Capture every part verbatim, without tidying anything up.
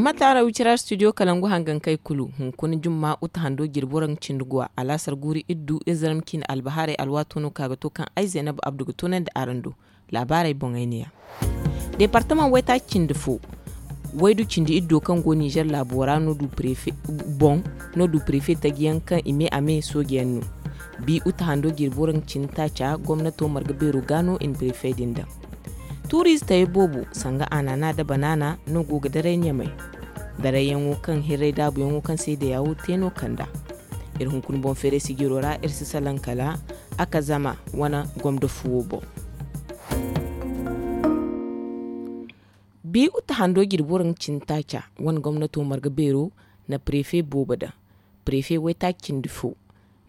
Mataara wicira studio kalangu hangankey kulu hunkuna jumma uta hando jirbi waraŋ cindi guwa alaasar guuri iddu izarma ciine albahaarey alwaato no ka ga to kaŋ ay zaynab abdu ga toonandi araŋ do. Laabaarey boŋey ne ya. Deepartamaŋ waytaaci cindi fo waydu cindi iddo kaŋ go ninzeer laabo ra no du prefe boŋ no du prefe taji yaŋ kaŋ i me a me sooje yaŋ no. Bi uta hando jirbi waraŋ cindi taaca gomnato marga beero ga no i na prefe din daŋ. Tuuriize tayey boobo sanga anana nda banaana no go ga daray ɲamay. Darayyaŋo kaŋ hirray daabuyaŋo kaŋ se dayawo te no kanda. Iri hunkuna boŋ feeray sijiro ra iri si salaŋ kala a ka zama wane gomdo fuwo boŋ. Bi uta hando jirbi waraŋ cindi taaca wane gomnato marga beero na prefe boobo daŋ. Prefe waytaaci cindi fo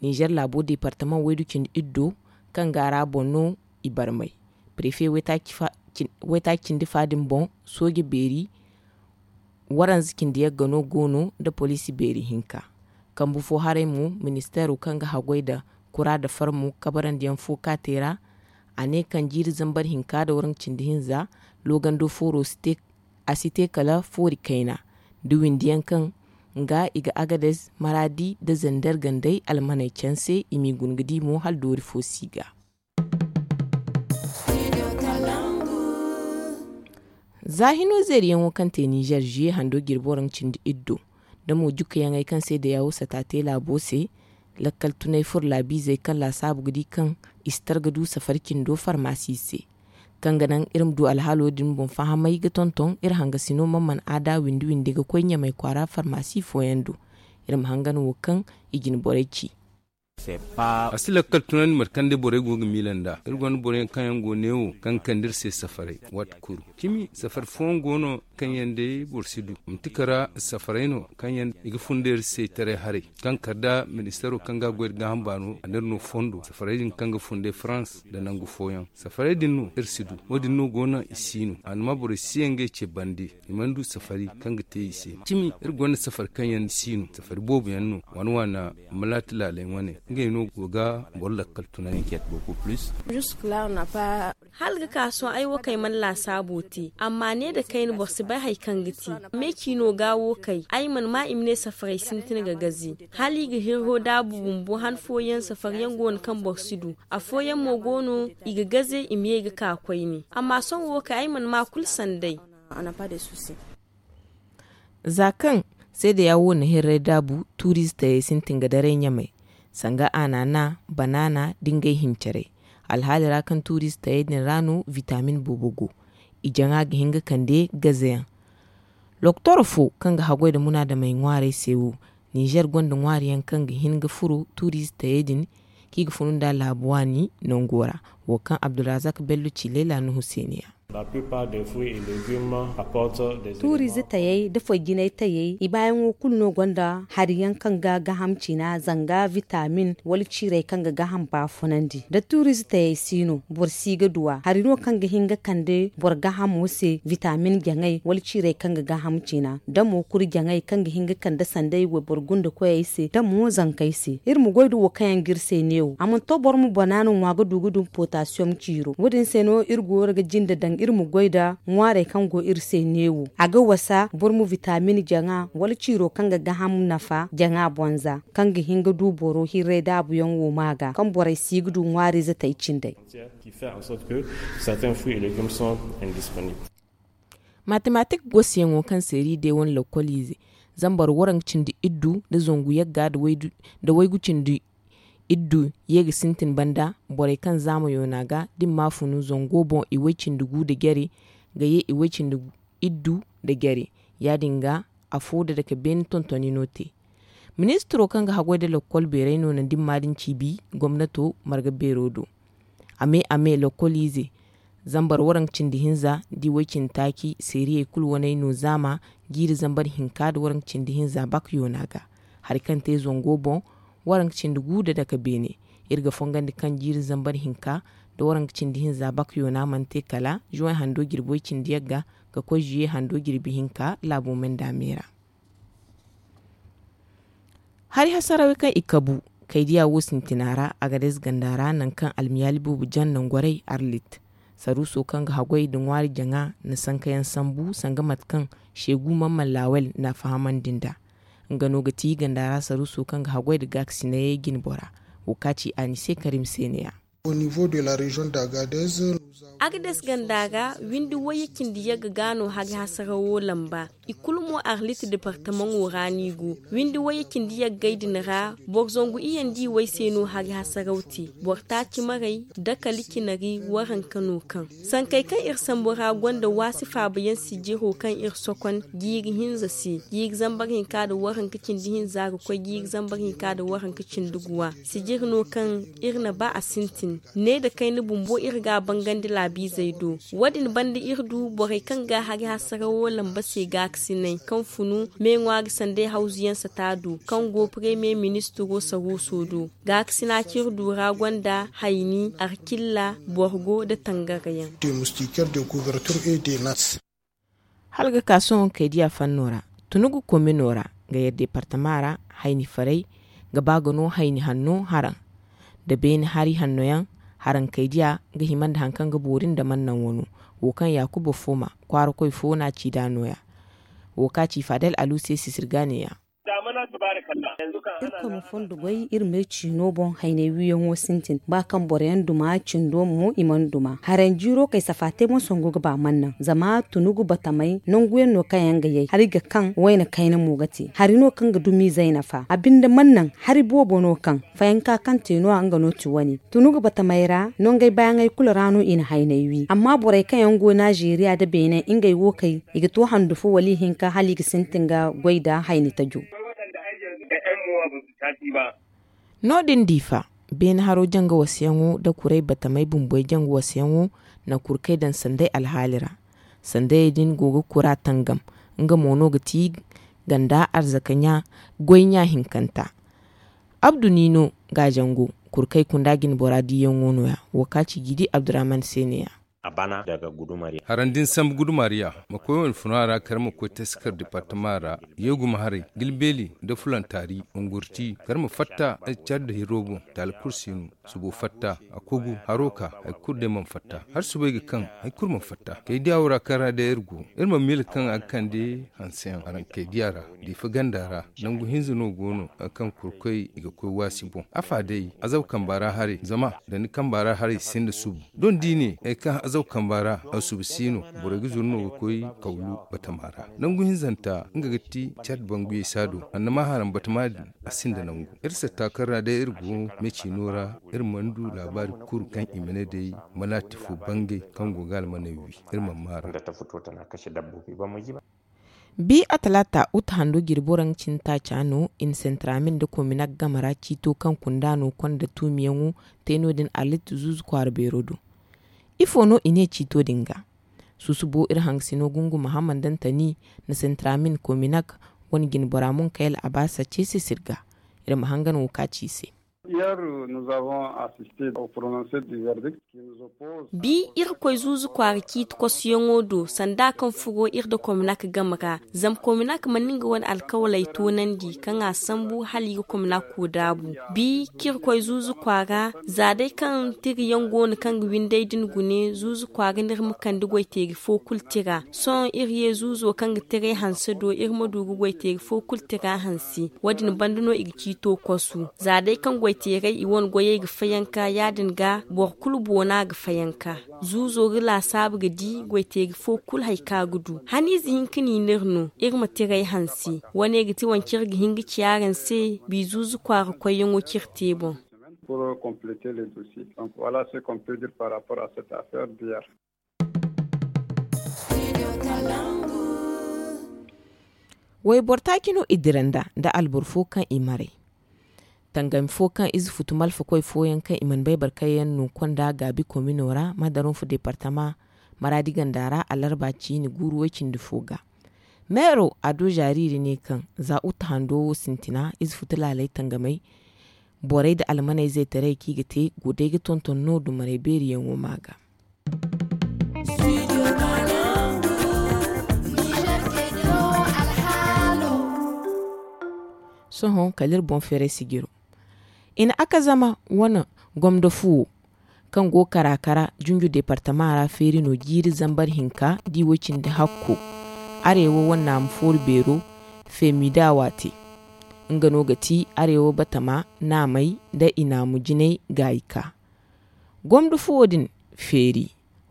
ninzeer laabo deepartamaŋ waydu cindi iddo kaŋ ga a ra boŋ no i barmay. Prefe waytaaci fa- cin- waytaaci cindi fa din boŋ sooje beeri waranza cindi yagga no go no nda poliisi beeri hinka. Kambu fo haray mo ministeero kaŋ ga haggoy nda kura nda farmo kabarandiyaŋ fo ka te ra. A ne kaŋ jiiri zambar hinka nda waraŋ cindi hinza loogando fooro si te a si te kala foori kayna nda windiyaŋ kaŋ ga i ga agades maraadi nda zander gandey almaney canse i m'i guna ga di mo hala doori fo si ga. Za hino zeeriyaŋo kaŋ te ninzeer ziye hando jirbi waraŋ cindi iddo nda mo jukayaŋey kaŋ se dayawo sata te laabo se. Lakkal tunay furo laabiizey kaŋ laasaabu ga di kaŋ i si tar ga du safari cindo farmaasi se. Kaŋ ga naŋ iri ma du alhaalo din boŋ fahamay ga tonton iri hangasino man man aada windi windi ga koy ɲamay kwaara farmaasi fooyaŋ do. Iri ma hangan wo kaŋ i jine borey ci. A si lakkal tunandi mate kaŋ day borey go ga miila nd'a iri gonda boroyaŋ kaŋ yaŋ go neewo kaŋ ga kande iri se safaray waati kulu. Cimi safari fooyaŋ go no kaŋ yaŋ day boro si du manti kala safaray no kaŋ yaŋ i ga funda iri se taray haray kaŋ kala nda ministeero kaŋ ga a goy nda gaaham baano a n'iri no fondo safaray din kaŋ ga funda farans nda nangu fooyaŋ. Safaray din no iri si du wo- din no go no i si no a na ma borey si yaŋ ga i ce bande. I mana du safari kaŋ ga te i se cimi iri gonda safari kaŋ yaŋ si no safari boobo yaŋ no waana waana malaati laaley wane ngey no go ga boro lakkal tunay. Hala ga ka sohõ ay wo kaŋ ay mana laasaabo te amma ne nda kayna boro si bay hari kaŋ ga te. Me ci no ga wo kay ay mana ma i ma ne safaray sintin ga gaze hala i ga hirro daabu bumbo han fooyaŋ safariyaŋ go no kaŋ boro si du. Afooyaŋ mo go no i ga gaze i ma ye ga ka koyne. Amma sohõ wo kay ay mana ma kulu sanday. Za kaŋ seedeya wo na hirray daabu tuuriize tayey sintin ga daray ɲamay sanga anana banaana da ngey hincarey. Alhaali ra kaŋ tuuriize tayey din ra no vitaamin boobo go. I jaŋa ga hin ga kande gazeyaŋ. Loktoro fo kaŋ ga haggoy nda munaadamey ŋwaarey se wo ninzeer gonda ŋwaari yaŋ kaŋ ga hin ga furo tuuriize tayey din kaŋ i ga funu nd'a laabu waani nango ra. Wo kaŋ abdulrazak bello ci leela nuhu se ne ya. Tuuriize tayey nda foy jinay tayey i baayaŋo kulu no gonda hari yaŋ kaŋ ga gaham ciina zanga vitaamin wala ciirey kaŋ ga gaham baafunandi nda tuuriize tayey si no boro si ga du a hari no kaŋ ga hin ga kande boro gahamo se vitaamin jaŋay wala ciirey kaŋ ga gaham ciina da mo kuri jaŋay kaŋ ga hin ga kande sanday wayboro gunda koyey se da mo zankey se iri ma goy nda wo kaŋ yaŋ ga iri se neewo a mana to boro ma banaana ŋwa ga du ga dun potasiyom ciiro wo- din se no iri go ga jinde daŋ iri ma goy nda ŋwaarey kaŋ go iri se neewo a ga wasa boro ma vitaamin jaŋa wala ciiro kaŋ ga gaham nafa jaŋa bonza kaŋ ga hin ga du boro hirray daabuyaŋ wo ma ga kaŋ borey si ga du ŋwaariize tay cindey. Matematik goseyaŋo kaŋ seeri day wane lokkoliize zambar waranka cindi iddu nda zangu yagga nda waygu cindi iddu ye ga sintin banda borey kaŋ zaama yoona ga da i ma funu zango boŋ i way cindi gu nda jare ga ye i way cindi iddu nda jare ya- din ga afo nda dake beene tontoni no te. Ministiro kaŋ ga haggoy nda lokkol beerey no na ndimma din ciibi gomnato marga beero do. A me a me lokkoliize zambar waranka cindi hinza da i way cindi taaci seeriyey kulu waney no zaama jiiri zambar hinka nda waranka cindi hinza bak yoona ga. Hari kaŋ te zango boŋ waranka cindi gu nda dake beene. Iri ga fongandi kaŋ jiiri zambar hinka nda waranka cindi hinza bak yoona mana te kala juway hando jirbi way cindi yagga ga koy ziye hando jirbi hinka laabo menda me ra. Hari hasarawey kaŋ i kabu kaydiya wo sintina ra agades ganda ra nangu kaŋ almiyaali boobo jaŋ nangorey arlit. Saruuso kaŋ ga haggoy nda ŋwaari jaŋa na sankayaŋ sambu sanga mate kaŋ seegu mamman laawel na a fahamandi nd'a. Nga no ga ti ganda ra saruuso kaŋ ga haggoy nda gaakasinayey jine bora. Wo ka ci a ni se karim se ne-ya. Agades ganda ra windi wayye cindi yagga ga no hari hasarawo lamba. I kulu mo arlit departamaŋo ra no i go. Windi wayye cindi yaggey din ra boro zangu iyandi way se no hari hasaraw te. Boro taaci maray dakali cinari waranka no kaŋ sankey kaŋ iri sambu ra gonda waasi faabayaŋ sijiro kaŋ iri sokon jiiri hinza se, jiiri zambar hinka nda waranka cindi hinza ga koy jiiri zambar hinka nda waranka cindi guwa. Sijir no kaŋ iri na ba a sintin. Ne nda kayna bumbo iri ga a bangandi laabiizey do. Wo-din banda iri du borey kaŋ ga hari hasarawo lamba se gaakasinay kaŋ funu me ŋwaari sanday hawzuyaŋ sata do kaŋ go premier ministiro saruuso do. Gaakasina kaŋ iri du ra gonda hayni, arkilla, borgo nda tangarayaŋ. Hala ga ka sohõ kaydiya fanno ra, tunugu komino ra, nga yar departama ra, hayni faray ga ba ga no hayni hanno haraŋ nda beene hari hanno yaŋ. Haraŋ kaydiya ga hima nda hari kaŋ ga boori nda mannaŋ wano. Wo kaŋ yaakuba fo ma kwaara koy fo no a ci nd'a no-ya. Wo ka ci fadel alu se sisirga ne-ya. Irkoy ma fondo goy iri me ciino boŋ haynay wiyaŋo sintin ba kaŋ boroyaŋ duma cindo mo i mana duma haranjiiro kay safa te boŋ sangu ga ba mannaŋ zama tunugu batamay nanguyaŋ no kaŋ yaŋ ga yay hari ga kaŋ wayna kayna mo ga te hari no kaŋ ga dumi zayna fa a binde mannaŋ hari boobo no kaŋ fayanka kaŋ te no-ya nga no ti wane tunugu batamay ra nongey baayaŋey kulu ra no i na haynay wi amma borey kaŋ yaŋ go nazeeriya nda beene ngey wo kay i ga to handu fo wala ihinka hala i ga sintin ga goy nda hayni tajo. No- din diifa beene haro janga wasayaŋo nda kuray batamey bumbey janga wasayaŋo na kurkey daŋ sanday alhaali ra. Sandayey din go ga kura tangam. Nga mo no ga ti ganda arzaka ɲa goy ɲa hinkanta. Abdu niino ga jango kurkey kunda jine bora diiyaŋo no- ya wo ka ci jiidi abdurrahman se ne- ya. Harandi ni sambu gudumariya ma koy wane funa ra kar ma koy taskar departama ra yeeguma haray gilbeeli nda fulantaari ungurti kar ma fatta cad da hiro boŋ taali kulu si no subo fatta a kogu haro ka hari kulu day mana fatta hari subay ga kaŋ hari kulu mana fatta kay diya wo ra kaŋ ra day iri go iri ma miila kaŋ a ga kande hanseyaŋ haraŋ kay diya ra diifa ganda ra nangu hinza no go no hari kaŋ kurkoy i ga koy waasi boŋ afa day azab kamba ra haray zama da ni kamba ra haray sinda subu don da i ne hari kaŋ azab kamba ra a subu si no borey ga zuru no ga koy kawlu batama ra nangu hinzanta nga ga ti cad banguyey saado annama haraŋ batama din a sinda nangu iri satta kaŋ ra day iri go me ciino ra iri mana du laabaari kulu kaŋ i ma ne day manaati fo bangay kaŋ go ga almaney wi iri mana maara. Bi a talaata uta hando jirbo ra nga cine taaca no i na sentiramin nda kominak game ra ciito kaŋ kunda no konda tuumiyaŋo te no- din arlit zuuzu kwaara beero do. Ifo no i ne ciito din ga? Susubo iri hangasino gungu mahamman dantani na sentiramin kominak wane jinbora munkayel abaasa ce se sirga. Iri ma hangan wo ka ci i se. Bi iri koy zuuzu kwaara ciiti kosuyaŋo do sanda kaŋ furo iri nda kominak game ra zama kominak mana nga wane alkawaley toonandi kaŋ a sambu hala i ga kominako daabu. Bi kaŋ iri koy zuuzu kwaara za day kaŋ tirayaŋ go no kaŋ ga windey din gune zuuzu kwaara no iri ma kande goyteeri fo kulu tira sohõ iri ye zuuzo kaŋ ga tiray hanse do iri ma du ga goyteeri fo kulu tira hanse. Wo- din banda no i ga ciito kosu za day kaŋ goyteerey i wane goyey ga fayanka ya- din ga boro kulu boona ga fayanka. Zuuzo ga laasaabu ga di goyteeri fo kulu hari kaŋ a ga du haniize hinka no i n'iri no iri ma tiray hanse. Wane ga ti wance iri ga hin ga ci araŋ se bi zuuzu kwaara koyyaŋo kaŋ iri te boŋ. Wayboro taaci no i dira nd'a nda alboro fo kaŋ i maray. Tangami fo kaŋ ize futu malfakoy fooyaŋ kaŋ i mana bay barkayyaŋ no konda gaabi komino ra madaronfu departama maraadi ganda ra alarba ciine guuru way-cindi fo ga. Meero ado zaariiri ne kaŋ za uta hando wo sintina ize futu laaley tangamey borey nda almaney zaytaray kaŋ i ga te go day ga tonton no dumarey beeriyaŋo ma ga. Sohõ kala iri boŋ feeray sijiro i na akazama wane gomdo fuwo kaŋ go kara-kara junju departama ra feeri no jiiri zambar hinka da i way cindi hakko. Arewa wane naamu foori beero femidawa te. Nga no ga ti arewa batama naamey nda i naamu jinay gaayi ka gomdo fuwo din feeri.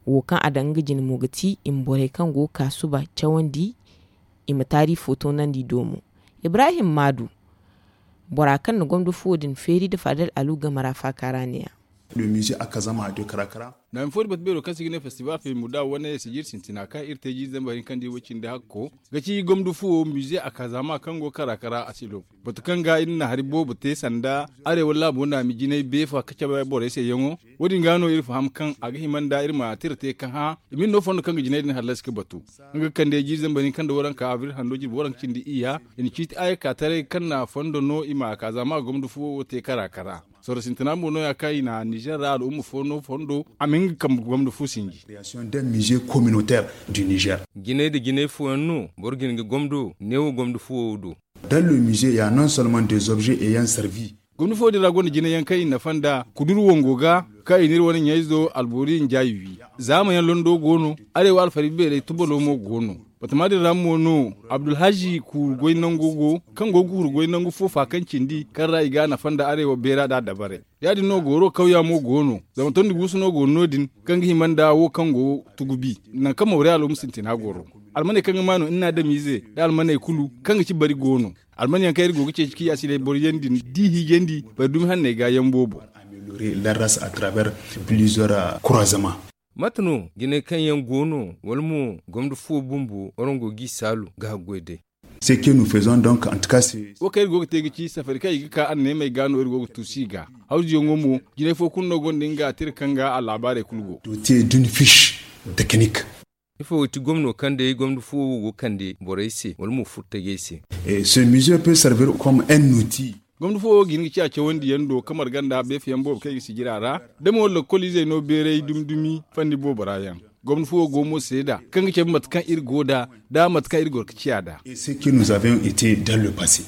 Wo kaŋ a daŋ nga jine mo ga ti i ma borey kaŋ go ga ka suba cawandi i ma taari fo toonandi doomo. Ibrahim maadu bora kaŋ na gomdo fuwo din feeri nda fadal alu game ra faaka ra ne-ya. Naami fo din batu beero kaŋ se i ga ne festival femidawa wane sijir sintina kaŋ iri te jiiri zambar hinka nda i way cindi hakko ga ci gomdo fuwo mize a ka zaama kaŋ go kara-kara asilo. Batu kaŋ ga iri na hari boobo te sanda arewa laabo naami jinay beefa ka cabe borey se yaŋo. Wo- din ga no iri faham kaŋ a ga hima nda iri ma tira te ka hã i ma iri no fondo kaŋ ga jinay din hallasi ga batu. Nga ga kande jiiri zambar hinka nda waranka abril hando jirbi waranka cindi iyya i na ciiti ayyaka taray kaŋ na fondo no i ma a ka zaama gomdo fuwo wo te kara-kara. Sorro sintina mo no- ya kaŋ i na nizer ra al'umma fo no fondo a ma hin ga kambe gomdo fu sinji. Jinay nda jinay fooyaŋ no boro ga hin ga gomdo neewo gomdo fuwo wo do. Dans le musée ya non seulement des objets ayant servi. Gomdo fuwo din ra gonda jinay yaŋ kaŋ i nafa nda kudur wango ga kaŋ i na iri wane ɲayzo albori njaayi wi. Zaama yaŋ londo go no. Arewa alfari beerey tubalo mo go no. Batama din ra mo no abdulhazi kuuru goy nango go kaŋ go ga huru goy nangu fo faakaŋ cindi kaŋ ra i ga a nafa nda arewa beera nd'a dabarey. Ya- din no gooro kawya mo go no. Zama tondi guusu no go no- din kaŋ ga hima nda wo kaŋ go tugubi nangu kaŋ mawre al'umma sintina goro. Almaney kaŋ ga maanu nna adamiize nda almaney kulu kaŋ ga ci bari go no. Alman yaŋ kaŋ iri go ga ceeci kaŋ i ya si day boro yaŋ din da i hiijandi bari dumi hanney ga yaŋ boobo. Larras à travers plusieurs croisements. Mate no jinay kaŋ yaŋ go no wala mo gomdo fuwo bumbo warango g'i saalu ga haggoy day. Ce que nous faisons donc en tout cas c'est. Wo kaŋ iri go ga te ga ci safari kaŋ i ga ka anneemey ga no iri go ga tuusu i ga. Hawzuyaŋo mo jinay fo kulu no gonda nga tira kaŋ ga a laabaarey kulu go. Doté d'une fiche technique. Ifo ga ti gomno kaŋ day gomdo fuwo wo go kande borey se wala mo furtajey se? Ce musée peut servir comme un outil. Gomdo fuwo wo ga hin ga ciya cawandiyaŋ do ka marga nda beefayaŋ boobo kaŋ i ga sijira ra. Da mo lakkol izey no beeray dumi-dumi fanni boobo ra yaŋ. Gomdo fuwo go mo seeda kaŋ ga cabe mate kaŋ iri go nd'a nda mate kaŋ iri goro ga ciya nd'a. Ce que nous avions été dans le passé.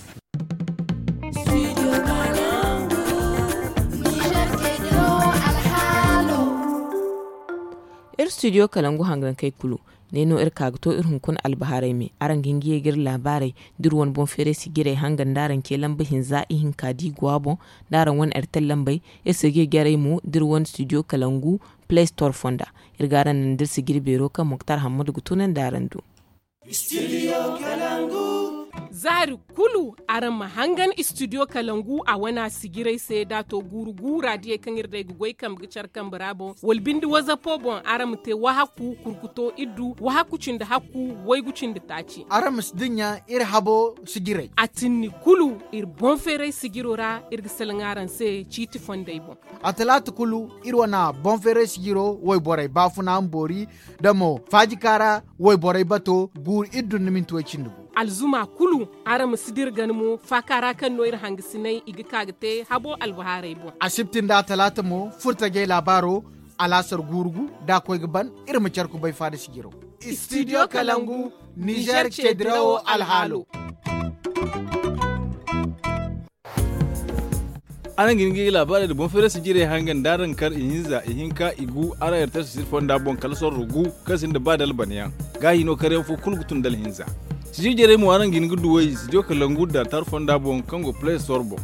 Iri studio kalangu hangankey kulu ne no iri ka ga to iri hunkuna albahaarey me araŋ ga hin ga ye ga iri laabaarey da iri wane boŋ feeray sijirey hanga nda araŋ ce lamba hinza ihinka da i go a boŋ. Da araŋ wane airtel lambey iri si ga ye ga araŋ mo da iri wane studio kalangu play store fonda. Iri ga araŋ naŋ da iri sijiri beero kaŋ moktar hammadu ga tunandi araŋ do. Zaari kulu araŋ ma hangan studio kalangu a wana sijirey se da a to guuru guura diyey kaŋ iri day ga goy kambe ga care kambe ra boŋ wala binde wazapo boŋ araŋ ma te wahakku kurkuto iddu wahakku cindi hakku waygu cindi taaci. Araŋ ma si dinya iri habo sijirey a tinni kulu iri boŋ feeray sijiro ra iri ga salaŋ araŋ se ciiti fondey boŋ. A talaata kulu iri wana boŋ feeray sijiro wayborey baafuna ma boori da mo faajika ra wayborey bato guuru iri dun ni minti way cindi gu. Alzuma kulu araŋ ma si dira gana mo faaka ra kaŋ no iri hangasinay i ga ka ga te habo albahaarey boŋ. Asibti nda talaata mo furtajey laabaaro alaasar guuru gu da a koy ga ban iri ma care kubay faada sijiro. Studio kalangu nizer ce dirawo alhaalo. Araŋ ga hin ga i laabaarey nda boŋ feeray sijirey hanga nda araŋ kar ihinza ihinka igu araŋ airtel sijir fonda boŋ kala sorro gu kaŋ sinda ba dalbanayaŋ. Gaahi no karyaŋ fo kulu ga tun dalhinza. Sijir jarey mo araŋ ga hin ga duw'ey studio kalangu da tar fonda boŋ kaŋ go play store boŋ.